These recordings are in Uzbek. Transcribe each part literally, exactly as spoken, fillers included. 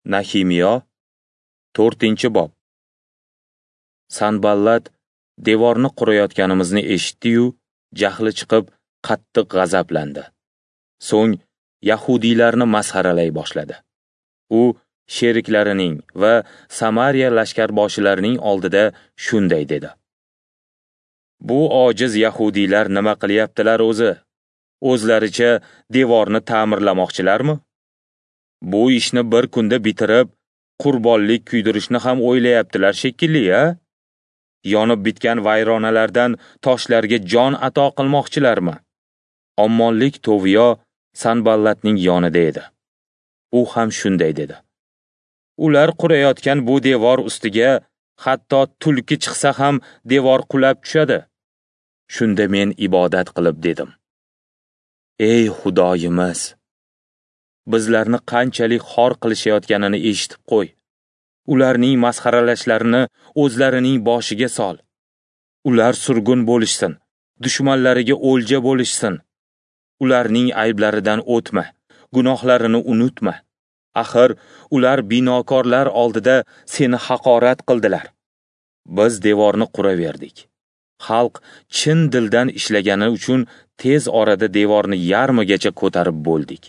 Nahimiyo, to'rtinchi bob. Sanballat devorni qurayotganimizni eshitdi-yu, jahli chiqib, qattiq g'azablandi. So'ng yahudiylarni masxaralay boshladi. U sheriklarining va Samariya lashkarboshilarining oldida shunday dedi: Bu ojiz yahudiylar nima qilyaptilar o'zi? O'zlaricha devorni ta'mirlamoqchilarmi? Bu ishni bir kunda bitirib, qurbonlik kuydirishni ham o'ylayaptilar shekilli-a? Yonib bitgan vayronalardan toshlarga jon ato qilmoqchilarmi? Ommonlik Toviyo Sanballatning yonida edi. U ham shunday dedi: Ular qurayotgan bu devor ustiga hatto tulki chiqsa ham devor qulab tushadi. Shunda men ibodat qilib dedim: Ey Xudoyimiz, bizlarni qanchalik xor qilishayotganini eshitib qo'y. Ularning masxaralashlarini o'zlarining boshiga sol. Ular surgun bo'lishsin, dushmanlariga o'lja bo'lishsin. Ularning ayblaridan o'tma, gunohlarini unutma. Axir ular binokorlar oldida seni haqorat qildilar. Biz devorni quraverdik. Xalq chin dildan ishlagani uchun tez orada devorni yarmigacha ko'tarib bo'ldik.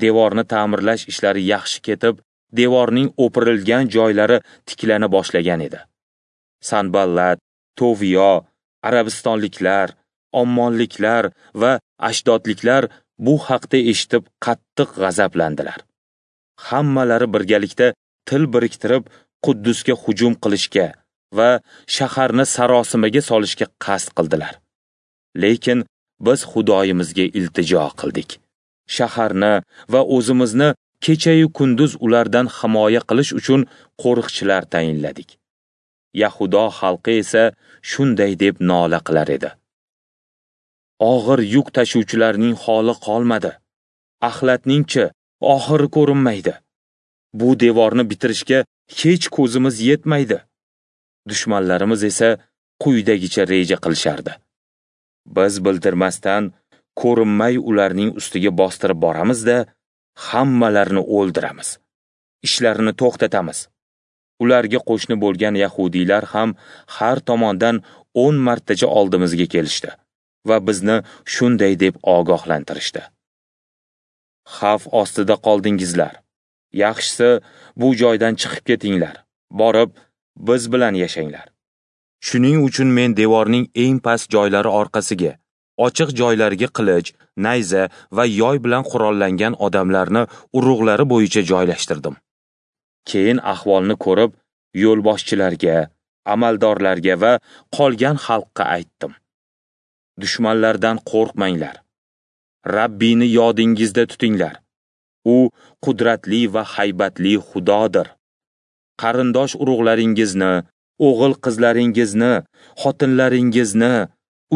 Devorni ta'mirlash ishlari yaxshi ketib, devorning o'pirilgan joylari tiklana boshlagan edi. Sanballat, Toviyo, arabistonliklar, ommonliklar va ashdodliklar bu haqda eshitib qattiq g'azablandilar. Hammalari birgalikda til biriktirib Quddusga hujum qilishga va shaharni sarosimaga solishga qasd qildilar. Lekin biz Xudoyimizga iltijo qildik. Shaharni va o'zimizni kecha-yu kunduz ulardan himoya qilish uchun qo'riqchilar tayinladik. Yahudo xalqi esa shunday deb nola qilar edi: Og'ir yuk tashuvchilarning holi qolmadi. Axlatning-chi oxiri ko'rinmaydi. Bu devorni bitirishga hech ko'zimiz yetmaydi. Dushmanlarimiz esa quyidagicha reja qilishardi: Biz bildirmasdan, ko'rinmay ularning ustiga bostirib boramiz-da, hammalarini o'ldiramiz. Ishlarini to'xtatamiz. Ularga qo'shni bo'lgan yahudiylar ham har tomondan o'n martacha oldimizga kelishdi va bizni shunday deb ogohlantirishdi: Xavf ostida qoldingizlar. Yaxshisi bu joydan chiqib ketinglar. Borib biz bilan yashanglar. Shuning uchun men devorning eng past joylari orqasiga, ochiq joylarga qilich, nayza va yoy bilan qurollangan odamlarni urug'lari bo'yicha joylashtirdim. Keyin ahvolni ko'rib, yo'lboshchilarga, amaldorlarga va qolgan xalqqa aytdim: Dushmanlardan qo'rqmanglar. Rabbini yodingizda tutinglar. U qudratli va haybatli Xudodir. Qarindosh urug'laringizni, o'g'il qizlaringizni, xotinlaringizni,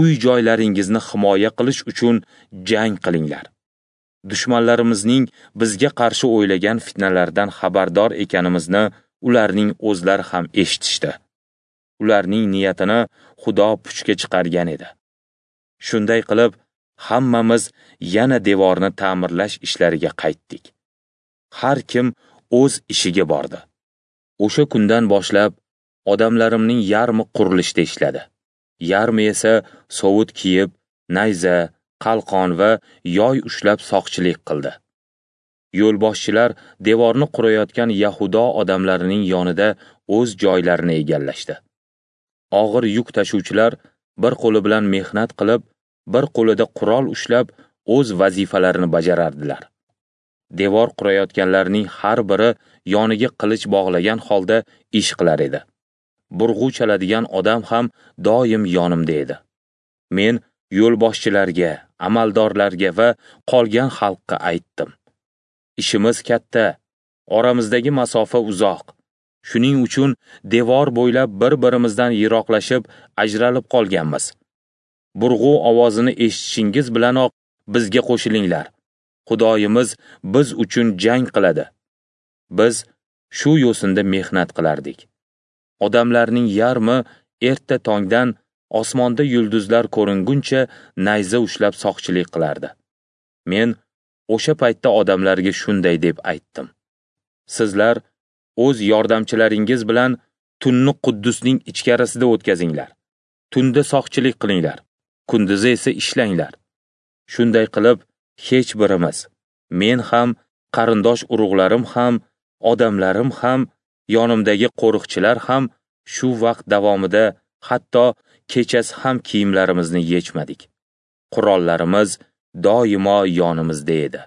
uy joylaringizni himoya qilish uchun jang qilinglar. Dushmanlarimizning bizga qarshi o'ylagan fitnalardan xabardor ekanimizni ularning o'zlari ham eshitishdi. Ularning niyatini Xudo puchga chiqargan edi. Shunday qilib, hammamiz yana devorni ta'mirlash ishlariga qaytdik. Har kim o'z ishiga bordi. O'sha kundan boshlab odamlarimning yarmi qurilishda ishladi. Yarmi esa sovut kiyib, nayza, qalqon va yoy ushlab soqchilik qildi. Yo'lboshchilar devorni qurayotgan Yahudo odamlarining yonida o'z joylarini egallashdi. Og'ir yuk tashuvchilar bir qo'li bilan mehnat qilib, bir qo'lida qurol ushlab o'z vazifalarini bajarardilar. Devor qurayotganlarning har biri yoniga qilich bog'lagan holda ish qilar edi. Burg'u chaladigan odam ham doim yonimda edi. Men yo'lboshchilarga, amaldorlarga va qolgan xalqqa aytdim: Ishimiz katta, oramizdagi masofa uzoq. Shuning uchun devor bo'ylab bir-birimizdan yiroqlashib, ajralib qolganmiz. Burg'u ovozini eshitishingiz bilanoq bizga qo'shilinglar. Xudoyimiz biz uchun jang qiladi. Biz shu yo'sinda mehnat qilardik. Odamlarning yarmi erta tongdan osmonda yulduzlar ko'ringuncha nayza ushlab soqchilik qilardi. Men o'sha paytda odamlarga shunday deb aytdim: Sizlar o'z yordamchilaringiz bilan tunni Quddusning ichkarisida o'tkazinglar. Tunda soqchilik qilinglar, kunduzi esa ishlanglar. Shunday qilib, hech birimiz, men ham, qarindosh urug'larim ham, odamlarim ham, yonimdagi qo'riqchilar ham shu vaqt davomida hatto kechasi ham kiyimlarimizni yechmadik. Qurollarimiz doimo yonimizda edi.